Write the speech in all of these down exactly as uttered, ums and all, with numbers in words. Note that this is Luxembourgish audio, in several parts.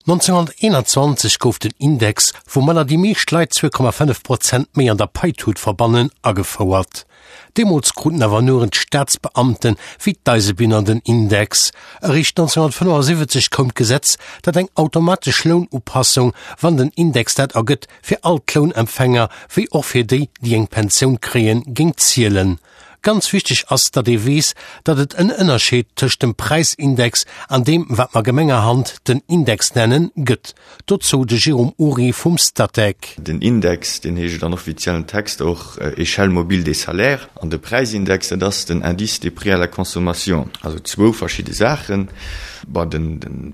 nonzénghonnerteenanzwanzeg gouf den Index, woumadder déi meescht Leit zwee Komma fënnef Prozent méi an der Paitut verbannen, agefouert. Deemools kruten awer nuren d'Staatsbeamten, wéi d'Eisebunner den Index. Eréischt nonzénghonnertfënnefasiwwezeg koum d'Gesetz, dat eng automatesch Lounupassung, wann den Index dat ergëtt, fir all d'Lounempfänger, wéi och fir déi, déi eng Pensioun kréien, géing zielen. Ganz wichteg ass, datt ee weess, datt et en Ënnerscheed tëscht dem Präisindex an deem, wat mer gemengerhand den Index nennen, gëtt. Dozou de Jérôme Oury vum Statec. Den Index, deen heescht an offiziellen Texter och Échelle mobile des salaires, an de Präisindex, dat ass den Indice des prix à la consommation. Also zwou verschidde Saachen. Bon, de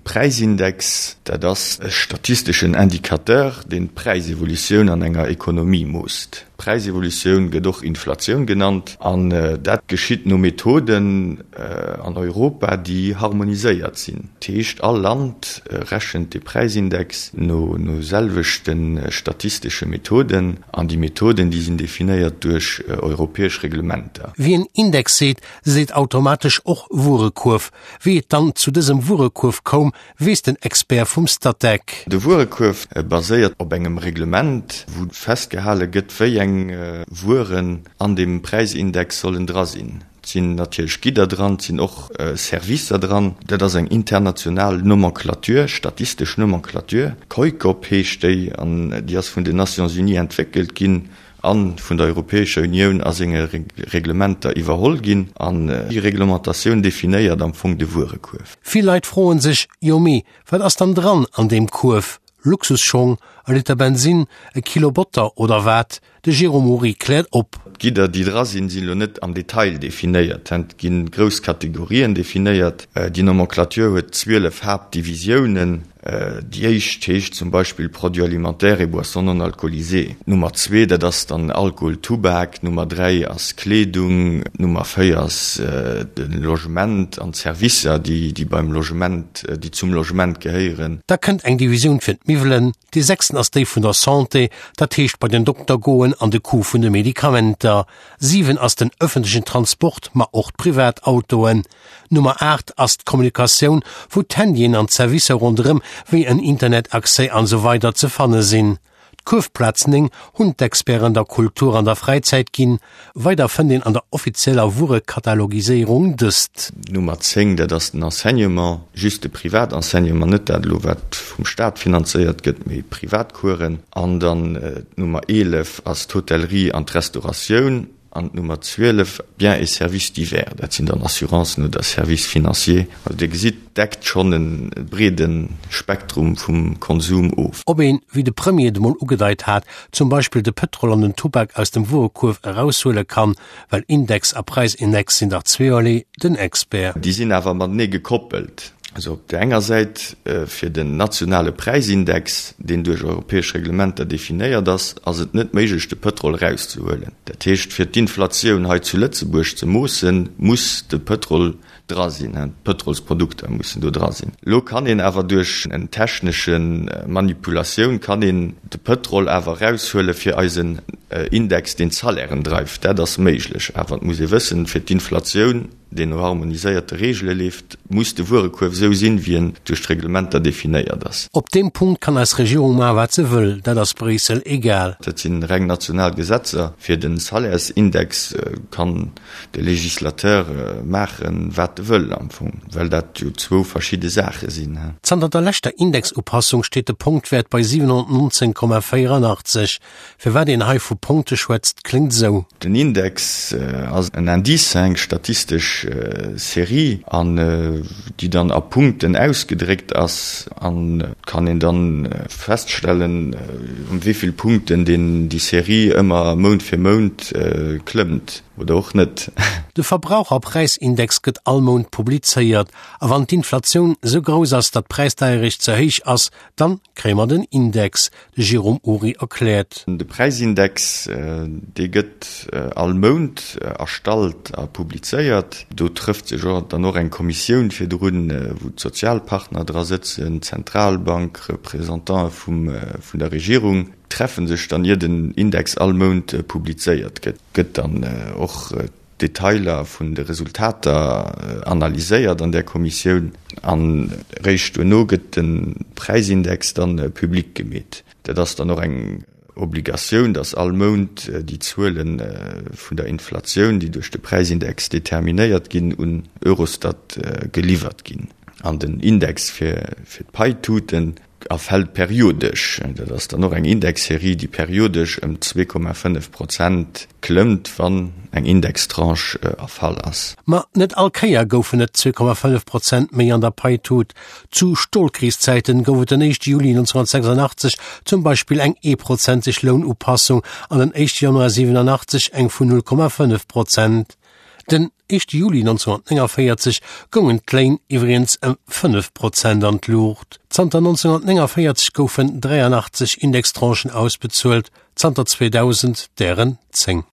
Präisindex, dat ass e statisteschen Indicateur, deen d'Präisevolutioun an enger Ekonomie moosst. D'Präisevolutioun gëtt och Inflatioun genannt an dat geschitt no Methoden an Europa, déi harmoniséiert sinn. Dat heescht, all Land rechent de Präisindex no selwechte statistesche Methoden an déi Methoden, déi sinn definéiert duerch europäesch Reglementer. Wien Index seet, seet automatesch och Wuerekuerf. Wéi et dann zu dësem Wuerekuerf koum, weess den Expert vum Statec. De Wuerekuerf baséiert op engem Reglement, wou festgehale gëtt, wéi eng Wueren an deem Präisindex sollen dra sinn. Et sinn natierlech Gidder dran, et sinn och Servicer dran. Dat ass eng international Nomenclature, statistesch Nomenclature. COICOP heescht déi an déi ass vun den Nations Unies entwéckelt ginn a vun der Europäescher Unioun a senge Reglementer iwwerholl ginn. An déi Reglementatioun definéiert am Fong de Wuerekuerf. Vill Leit froen sech, Jo mee wat ass dann dran an deem Kuerf? Luxusschong, e Liter Bensinn, e Kilo Botter oder wat? De Jérôme Oury kläert op. D'Gidder, déi dra sinn, sinn elo net am Detail definéiert. Et gi grouss Kategorien definéiert. Déi Nomenclature huet zwielef Haaptdivisiounen. Déi éischt heescht zum Beispill Produits alimentaires et boissons non alcoolisées. D'Nummer zwee, dat ass dann Alkohol, Tubak. D'Nummer dräi ass Kleedung. D'Nummer véier ass de Logement an d'Servicer, déi beim Logement, déi zum Logement gehéieren. Da kënnt eng Divisioun fir d'Miwwelen. Déi sechsten ass déi vun der Santé, dat heescht bei den Dokter goen an de Coût vun de Medikamenter. Siwen ass den ëffentlechen Transport, ma och d'Privatautoen. Nummer aacht ass d'Kommunikatioun, wou d'Handyen an d'Servicer ronderëm, wéi en Internetaccès an esou weider ze fanne sinn. D'Kuerfplaz néng hunn d'Experten der Kultur an der Fräizäit ginn. Weider fënnt een an der offizieller Wuerekatalogiséierung dëst. Nummer zéng, dat ass den Enseignement, just de Privatenseignement, net dat elo wat vum Staat finanzéiert gëtt, mee Privatcoursen. An dann d'Nummer eelef ass d'Hotellerie an d'Restauratioun. An d'Nummer zwielef, Biens et services divers, dat sinn dann Assurancen oder Services financiers. Also Dir gesitt, deckt schonn e breede Spektrum vum Konsum of. Ob een, wéi de Premier et emol ugedeit hat, zum Beispill de Pëtrol an den Tubak aus dem Wuerekuerf eraushuele kann, well Index a Präisindex sinn dach zweeërlee, den Expert. Déi sinn awer matenee gekoppelt. Also op där enger Säit fir den nationale Präisindex, deen duerch europäesch Reglementer definéiert ass, ass et net méiglech de Pëtrol erauszehuelen. Dat heescht, fir d'Inflatioun hei zu Lëtzebuerg ze moossen, muss de Pëtrol dra sinn, d'Pëtrolsprodukter mussen do dra sinn. Elo kann een awer duerch en technesche Manipulatioun kann een de Pëtrol awer eraushuele fir eisen Index, deen d'Salairen dreift. Dat ass méiglech, awer et muss ee wëssen, fir d'Inflatioun, deen no harmoniséierte Reegele leeft, muss de Wuerekuerf esou sinn, wéi en duerch d'Reglementer definéiert ass. Op deem Punkt kann eis Regierung maachen, wat se wëll, dat ass Bréissel egal. Dat si reng national Gesetzer. Fir de Salairesindex kann de Législateur maachen, wat e wëll am Fong, well dat jo zwou verschidde Saache sinn. Zanter der leschter Indexupassung steet de Punktwäert bei siwenhonnertnonzéng Komma véierannachtzeg. Firwat een hei vu Punkte schwätzt, kléngt esou. Den Index ass en Indice, eng statistesch Serie, an déi dann a Punkten ausgedréckt ass. An et kann een dann feststellen, ëm wéi vill Punkten déi Serie ëmmer Mount fir Mount klëmmt oder och net. De Verbraucherpräisindex gëtt all Mount publizéiert. A wann d'Inflatioun esou grouss ass, datt d'Präisdeierecht ze héich ass, dann kréie mer den Index. De Jérôme Oury erkläert. De Präisindex, dee gëtt all Mount erstallt a publizéiert. Do trëfft sech och dann och eng Kommissioun virdrun, wou d'Sozialpartner dra sëtzen, d'Zentralbank, Representantë vum vun der Regierung treffe sech dann, ier den Index all Mount publizéiert gëtt. Gëtt dann och d'Detailer vun de Resultater analyséiert an där Kommissioun an eréischt duerno gëtt de Präisindex dann public gemeet. Dat ass dann och eng Obligatioun, dass all Mount déi Zuele vun der Inflatioun, déi duerch de Präisindex determinéiert ginn, un Eurostat geliwwert ginn. An den Index fir d'Paituten erfält periodesch. Dat ass dann och eng Indexserie, déi periodesch ëm zwee Komma fënnef Prozent klëmmt, wann eng Indextranche erfall ass. Ma net all Kéier goufen et zwee Komma fënnef Prozent méi an der Paitut. Zu Stolkriszäiten gouf et den éischte Juli neunzehnhundertsechsundachtzeg zum Beispill eng eeprozenteg Lounupassung an den éischte Januar siwenanachtzeg eng vun null Komma fënnef Prozent. Den éischte Juli neunzehnhundertnéngervéierzeg goungen d'Léin iwwregens ëm fënnef Prozent an d'Luucht. Zanter neunzehnhundertnéngervéierzeg goufen dräianachtzeg Indextranchen ausbezuelt, zanter zweedausend dären zéng.